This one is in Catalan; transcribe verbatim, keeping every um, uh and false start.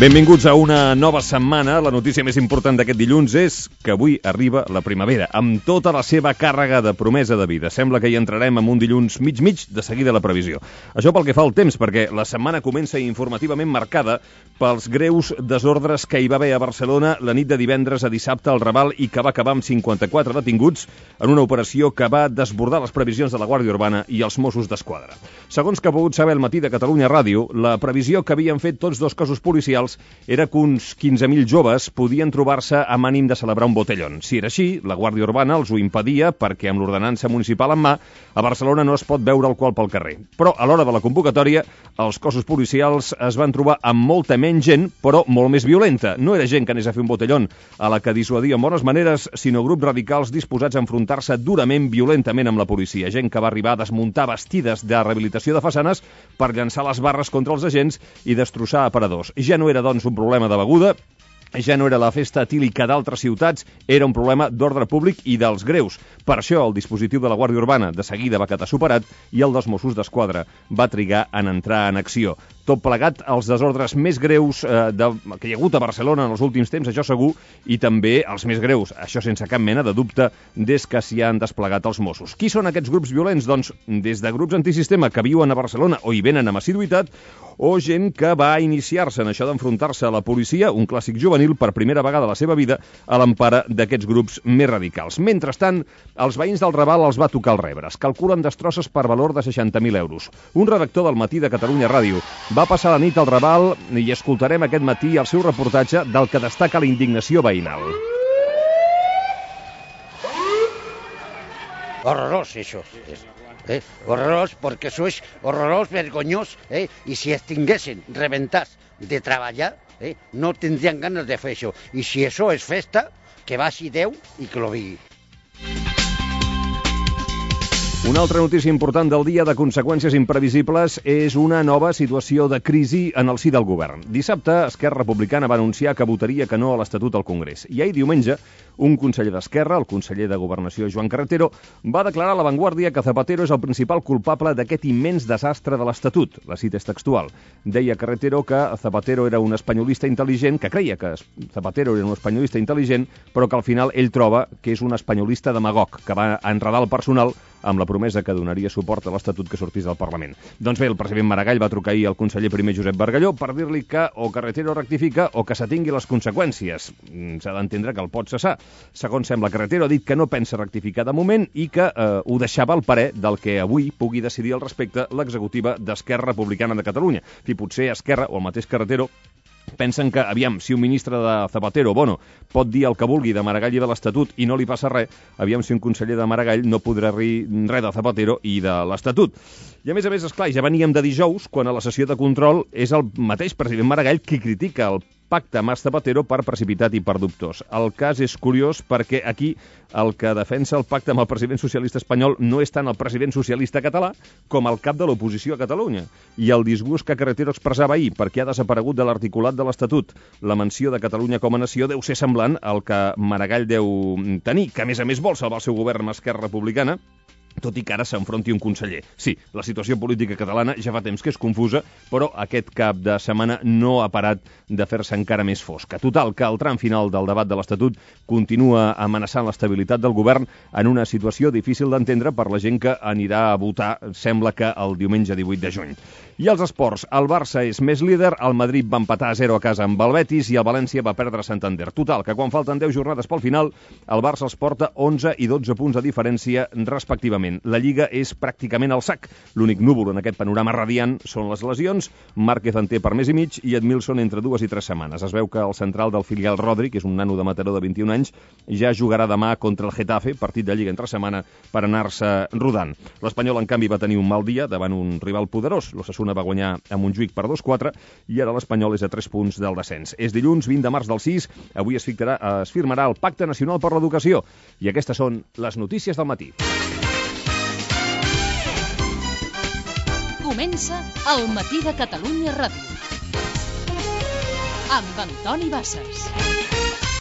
Benvinguts a una nova setmana. La notícia més important d'aquest dilluns és que avui arriba la primavera, amb tota la seva càrrega de promesa de vida. Sembla que hi entrarem en un dilluns mig-mig, de seguida la previsió. Això pel que fa al temps, perquè la setmana comença informativament marcada pels greus desordres que hi va haver a Barcelona la nit de divendres a dissabte al Raval i que va acabar amb cinquanta-quatre detinguts en una operació que va desbordar les previsions de la Guàrdia Urbana i els Mossos d'Esquadra. Segons que ha pogut saber el matí de Catalunya Ràdio, la previsió que havien fet tots dos cossos policials era que uns quinze mil joves podien trobar-se amb ànim de celebrar un botellón. Si era així, la Guàrdia Urbana els ho impedia perquè amb l'ordenança municipal en mà a Barcelona no es pot beure alcohol pel carrer. Però a l'hora de la convocatòria, els cossos policials es van trobar amb molta menys gent, però molt més violenta. No era gent que anés a fer un botellón a la que dissuadia amb bones maneres, sinó grups radicals disposats a enfrontar-se durament, violentament amb la policia. Gent que va arribar a desmuntar bastides de rehabilitació de façanes per llançar les barres contra els agents i destrossar aparadors. Ja no era, doncs, un problema de beguda, ja no era la festa etílica d'altres ciutats, era un problema d'ordre públic i dels greus. Per això el dispositiu de la Guàrdia Urbana de seguida va quedar superat i el dels Mossos d'Esquadra va trigar en entrar en acció. Tot plegat, els desordres més greus eh, de, que hi ha hagut a Barcelona en els últims temps, això segur, i també els més greus, això sense cap mena de dubte, des que s'hi han desplegat els Mossos. Qui són aquests grups violents? Doncs des de grups antisistema que viuen a Barcelona o hi venen amb assiduïtat, o gent que va iniciar-se en això d'enfrontar-se a la policia, un clàssic juvenil, per primera vegada a la seva vida, a l'empara d'aquests grups més radicals. Mentrestant, els veïns del Raval els va tocar el rebre. Es calculen destrosses per valor de seixanta mil euros. Un redactor del Matí de Catalunya Ràdio va passar la nit al Raval i escoltarem aquest matí el seu reportatge del que destaca la indignació veïnal. Horrorós, això. Eh? Horrorós, perquè això és horrorós, vergonyós, eh? I si estiguessin rebentats de treballar, eh? no tindrien ganes de fer això. I si això és festa, que vagi Déu i que lo vigui. Una altra notícia important del dia de conseqüències imprevisibles és una nova situació de crisi en el si del govern. Dissabte, Esquerra Republicana va anunciar que votaria que no a l'Estatut al Congrés. I ahir diumenge, un conseller d'Esquerra, el conseller de Governació Joan Carretero, va declarar a La Vanguardia que Zapatero és el principal culpable d'aquest immens desastre de l'Estatut. La cita és textual. Deia Carretero que Zapatero era un espanyolista intel·ligent, que creia que Zapatero era un espanyolista intel·ligent, però que al final ell troba que és un espanyolista demagog, que va enredar el personal amb la promesa que donaria suport a l'Estatut que sortís del Parlament. Doncs bé, el president Maragall va trucar ahir al conseller primer Josep Bargalló per dir-li que o Carretero rectifica o que s'atingui les conseqüències. S'ha d'entendre que el pot cessar. Segons sembla, Carretero ha dit que no pensa rectificar de moment i que eh, ho deixava al parer del que avui pugui decidir al respecte l'executiva d'Esquerra Republicana de Catalunya. I potser Esquerra o el mateix Carretero pensen que, aviam, si un ministre de Zapatero, bueno, pot dir el que vulgui de Maragall i de l'Estatut i no li passa res, aviam si un conseller de Maragall no podrà dir res de Zapatero i de l'Estatut. I a més a més, esclar, ja veníem de dijous, quan a la sessió de control és el mateix president Maragall qui critica el pacte Mas Zapatero per precipitat i per dubtós. El cas és curiós perquè aquí el que defensa el pacte amb el president socialista espanyol no és tant el president socialista català com el cap de l'oposició a Catalunya. I el disgust que Carretero expressava ahir perquè ha desaparegut de l'articulat de l'Estatut la menció de Catalunya com a nació deu ser semblant al que Maragall deu tenir, que a més a més vol salvar el seu govern amb Esquerra Republicana, tot i que ara s'enfronti un conseller. Sí, la situació política catalana ja fa temps que és confusa, però aquest cap de setmana no ha parat de fer-se encara més fosca. Total, que el tram final del debat de l'Estatut continua amenaçant l'estabilitat del govern en una situació difícil d'entendre per la gent que anirà a votar, sembla que el diumenge divuit de juny. I els esports, el Barça és més líder, el Madrid va empatar a zero a casa amb el Betis i el València va perdre a Santander. Total, que quan falten deu jornades pel final, el Barça els porta onze i dotze punts de diferència respectivament. La Lliga és pràcticament al sac. L'únic núvol en aquest panorama radiant són les lesions. Márquez en té per més i mig i Edmilson entre dues i tres setmanes. Es veu que el central del filial Rodri, que és un nano de Mataró de vint-i-un anys, ja jugarà demà contra el Getafe, partit de Lliga entre setmana, per anar-se rodant. L'Espanyol, en canvi, va tenir un mal dia davant un rival poderós. L'Osasuna va guanyar a Montjuïc per dos quatre i ara l'Espanyol és a tres punts del descens. És dilluns vint de març del sis, avui es, fictarà, es firmarà el Pacte Nacional per l'Educació i aquestes són les notícies del matí. Comença el Matí de Catalunya Ràdio amb Antoni Bassas.